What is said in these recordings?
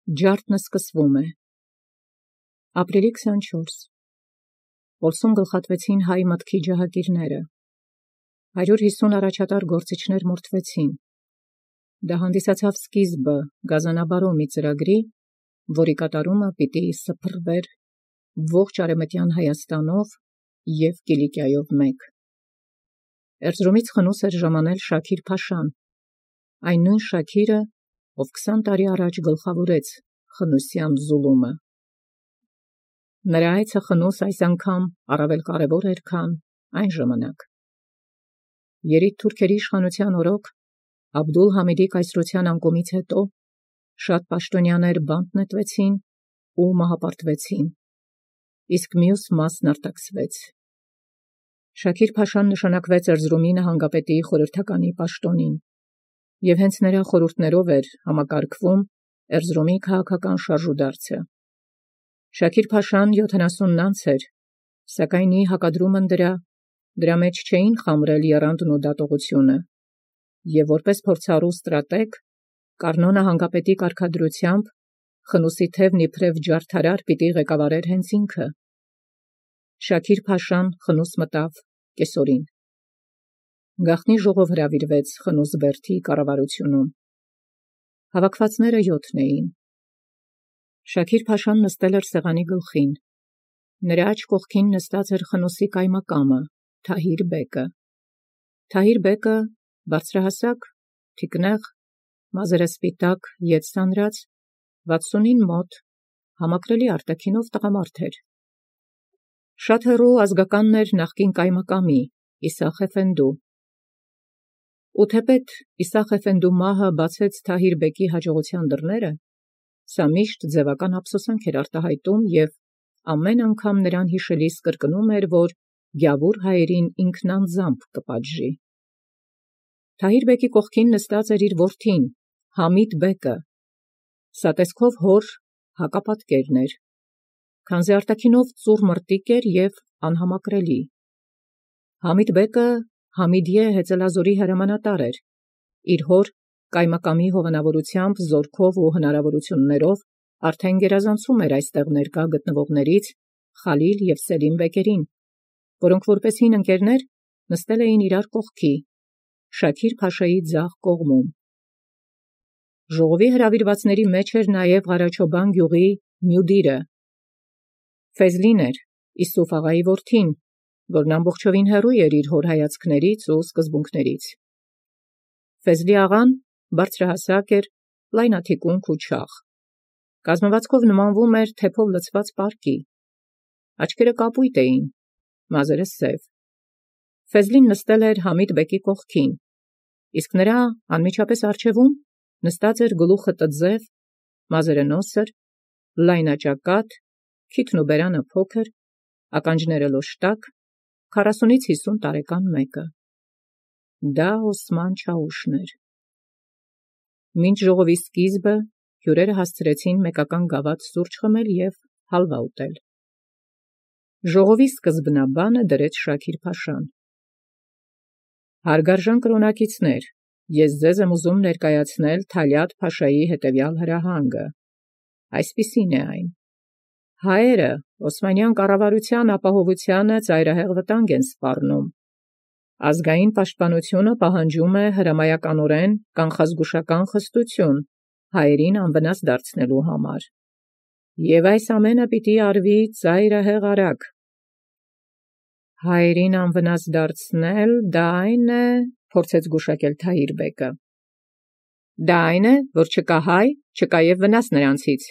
Ջարդն սկսվում է։ Ապրիլի 24 Որսում գլխատվեցին հայ մտքի ջահակիրները։ 150 առաջատար գործիչներ մորթվեցին։ Դա հանդիսացավ սկիզբը գազանաբարո մի ծրագրի, որի կատարումը պիտի սփռվեր ողջ արևմտյան Հայաստանով և Կիլիկիայով մեկ։ Էրզրումից խնուս էր ժամանել Շաքիր Փաշան, այն նույն Շաքիրը, ով 20 տարի առաջ գլխավորեց խնուսյան զուլումը։ Նրա այցը խնուս այս անգամ առավել կարևոր էր, քան այն ժամանակ։ Երիտ թուրքերի իշխանության օրոք Աբդուլ-Համիդի կայսրության անկումից հետո շատ պաշտոնյաներ բանտ նետվեցին ու մահապարտվեցին, իսկ մյուս մասն արտաքսվեց։ Շաքիր Փաշան նշանակվեց Էրզրումի նահանգապետի խորհրդականի պաշտոնին, և հենց նրա խորհուրդներով էր համակարգվում Էրզրումի քաղաքական շարժուդարձը։ Շաքիր Փաշան 70 անց էր, սակայն ի հակադրումն դրա մեջ չէին խամրել եռանդն ու դատողությունը, և որպես փորձառու ստրատեգ, Կառնո նահանգապետի կարգադրությամբ խնուսի թևն իբրև ջարդարար պիտի ղեկավարեր հենց ինքը։ Շաքիր Փաշան խնուս մտավ կեսօրին։ Գաղտնի ժողով հրավիրվեց խնուս բերդի կառավարությունում։ Հավաքվածները 7 էին։ Շաքիր Փաշան նստել էր սեղանի գլխին։ Նրա աջ կողքին նստած էր խնուսի կայմակամը Թահիր բեկը։ Թահիր բեկը բարձրահասակ, թիկնեղ, մազերը սպիտակ, ետ սանրած, 60-ին մոտ, համակրելի արտաքինով տղամարդ էր։ Շատ հեռու ազգականն էր նախկին կայմակամի Իսախ Էֆենդու։ Ու թեպետ Իսախ Էֆենդու մահը բացեց Թահիր բեկի հաջողության դռները, սա միշտ ձևական ափսոսանք էր արտահայտում և ամեն անգամ նրան հիշելիս կրկնում էր, որ գյավուր հայերին ինքն անձամբ կպատժի։ Թահիր բեկի կողքին նստած էր իր որդին Համիդ բեկը, սա տեսքով հոր հակապատկերն էր, քանզի արտաքինով ծուռ մրտիկ էր և անհամակրելի։ Համիդ բեկը Համիդիե հեծելազորի հրամանատար էր, իր հոր կայմակամի հովանավորությամբ, զորքով ու հնարավորություններով արդեն գերազանցում էր այստեղ ներկա գտնվողներից Խալիլ և Սելիմ բեկերին, որոնք որպես հին ընկերներ նստել էին իրար կողքի, Շաքիր Փաշայի ձախ կողմում։ Ժողովի հրավիրվածների մեջ էր նաև Ղարաչոբան գյուղի մյուդիրը Ֆեզլին էր, Իսուֆ աղայի որդին, որն ամբողջովին հեռու էր իր հոր հայացքներից ու սկզբունքներից։ Ֆեզլի աղան բարձրահասակ էր, լայնաթիկունք ու չաղ։ Կազմվածքով նմանվում էր թեփով լցված պարկի։ Աչքերը կապույտ էին, մազերը սև։ Ֆեզլին նստել էր Համիդ բեկի կողքին, իսկ նրա անմիջապես առջևում նստած էր գլուխը տձև, մազերը նոսր, լայնաճակատ, քիթն ու բերանը փոքր, ականջները լոշտակ, 40-ից 50 տարեկան մեկը։ Դա Օսման Չաուշն էր։ Մինչ ժողովի սկիզբը հյուրերը հասցրեցին մեկական գավաթ սուրճ խմել և հալվա ուտել։ Ժողովի սկզբնաբանը դրեց Շաքիր Փաշան։ Հարգարժան կրոնակիցներ, ես ձեզ եմ ուզում ներկայացնել Թալյատ Փաշայի հետևյալ հրահանգը։ Այսպիսին է այն. հայերը Օսմանյան կառավարության ապահովությանը ծայրահեղ վտանգ են սպառնում։ Ազգային պաշտպանությունը պահանջում է հրամայականորեն կանխազգուշական խստություն հայերին անվնաս դարձնելու համար։ Եվ այս ամենը պիտի արվի ծայրահեղ արագ։ Հայերին անվնաս դարձնել, դա այն է, փորձեց գուշակել Թահիր բեկը։ Դա այն է, որ չկա հայ, չկա և վնաս նրանցից։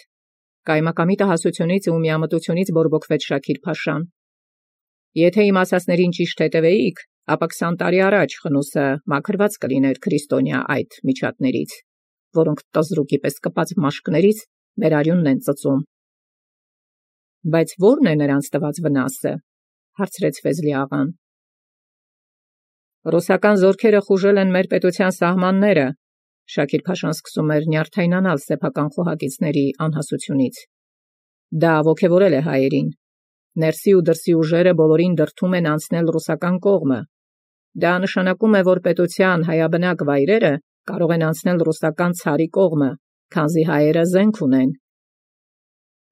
Կայմակամի տհասությունից ու միամտությունից բորբոքվեց Շաքիր Փաշան։ Եթե իմ ասածներին ճիշտ հետևեիք, ապա 20 տարի առաջ խնուսը մաքրված կլիներ քրիստոնյա այդ միջատներից, որոնք տզրուկի պես կպած մաշկներից մեր արյունն են ծծում։ Բայց ո՞րն է նրանց տված վնասը, հարցրեց Ֆեզլի աղան։ Ռուսական զորքերը խուժել են մեր պետության սահմանները, Շաքիր Փաշան սկսում էր նյարդայնանալ սեփական խոհակիցների անհասությունից։ Դա ոգևորել է հայերին։ Ներսի ու դրսի ուժերը բոլորին դրդում են անցնել ռուսական կողմը։ Դա նշանակում է, որ պետության հայաբնակ վայրերը կարող են անցնել ռուսական ցարի կողմը, քանզի հայերը զենք ունեն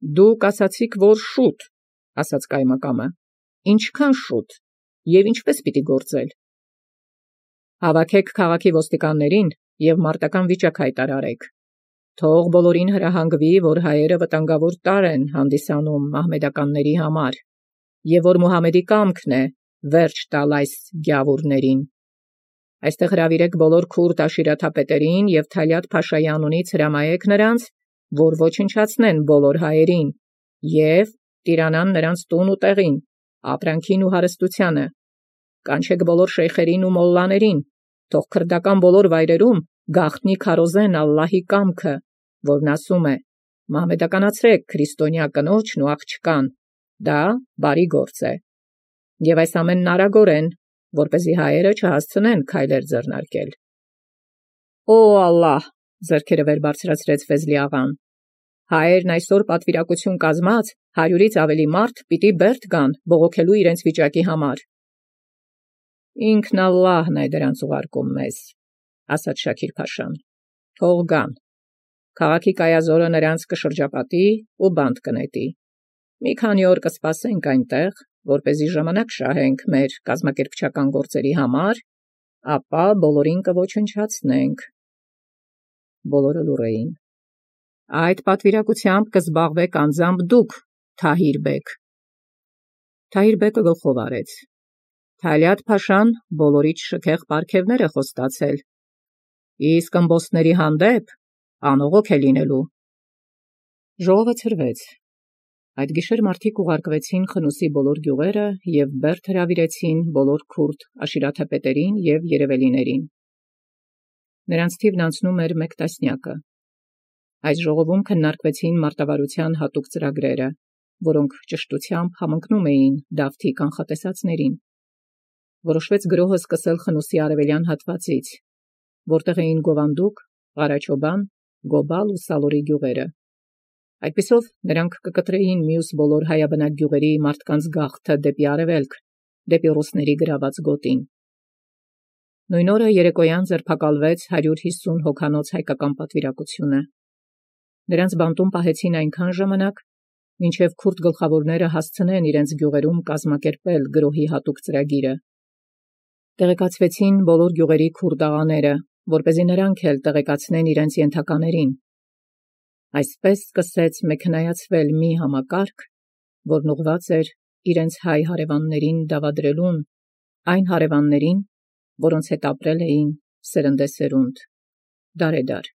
Դուք ասացիք, որ շուտ, ասաց կայմակամը, ինչքան շուտ, և ինչպես պիտի գործել։ Հավաքեք քաղաքի ոստիկաններին և մարտական վիճակ հայտարարեք։ Թող բոլորին հրահանգվի, որ հայերը վտանգավոր տարր են հանդիսանում մահմեդականների համար, և որ Մուհամեդի կամքն է վերջ տալ այս գյավուրներին։ Այստեղ հրավիրեք բոլոր քուրդ աշիրաթապետերին և Թալյատ Փաշայի անունից հրամայեք նրանց, որ ոչնչացնեն բոլոր հայերին և տիրանան նրանց տուն ու տեղին, ապրանքին ու հարստությանը։ Կանչեք բոլոր շեյխերին ու մոլլաներին, թող քրդական բոլոր վայրերում գաղտնի քարոզեն Ալլահի կամքը, որն ասում է. «Մահմեդականացրեք քրիստոնյա կնոջն ու աղջկան, դա բարի գործ է»։ Եվ այս ամենն արագորեն, որպեսզի հայերը չհասցնեն քայլեր ձեռնարկել։ Օ Ալլահ, ձեռքերը վեր բարձրացրեց Ֆեզլի աղան, հայերն այսօր պատվիրակություն կազմած 100-ից ավելի մարդ պիտի բերդ գան բողոքելու իրենց վիճակի համար։ Ինքն Ալլահն է դրանց ուղարկում մեզ, ասաց Շաքիր Փաշան։ Թող գան։ Քաղաքի կայազորը նրանց կշրջապատի ու բանտ կնետի։ Մի քանի օր կսպասենք այնտեղ, որպեսզի ժամանակ շահենք մեր կազմակերպչական գործերի համար, ապա բոլորին կոչնչացնենք։ Բոլորը լուռ էին։ Այդ պատվիրակությամբ կզբաղվեք անձամբ դուք, Թահիր բեգ։ Թահիր բեգը գլխով արեց։ Թալյատ Փաշան բոլորից շքեղ պարգևներ է խոստացել, իսկ ըմբոստների հանդեպ անողոք է լինելու։ Ժողովը ցրվեց։ Այդ գիշեր մարդիկ ուղարկվեցին Խնուսի բոլոր գյուղերը և բերդ հրավիրեցին բոլոր քուրդ աշիրաթապետերին և երևելիներին։ Նրանց թիվն անցնում էր 1 տասնյակը։ Այս ժողովում քննարկվեցին մարտավարության հատուկ ծրագրերը, որոնք ճշտությամբ համընկնում էին Դավթի կանխատեսածներին։ Որոշվեց գրոհը սկսել Խնուսի արևելյան հատվածից, որտեղ էին Գովանդուկ, Ղարաչոբան, Գոբալ ու Սալորի գյուղերը։ Այդպիսով նրանք կկտրեին մյուս բոլոր հայաբնակ գյուղերի մարդկանց գաղթը դեպի արևելք, դեպի ռուսների գրաված գոտին։ Նույն օրը երեկոյան ձերբակալվեց 150 հոգանոց հայկական պատվիրակությունը։ Նրանց բանտում պահեցին այնքան ժամանակ, մինչև քուրդ գլխավորները հասցնեն իրենց գյուղերում կազմակերպել գրոհի հատուկ ծրագիրը։ Տեղեկացվեցին բոլոր գյուղերի քուրդ աղաները, որպեսզի նրանք էլ տեղեկացնեն իրենց ենթականերին։ Այսպես սկսեց մեքենայացվել մի համակարգ, որն ուղղված էր իրենց հայ հարևաններին դավադրելուն, այն հարևաններին, որոնց հետ ապրել էին սերնդեսերունդ, դարեդար։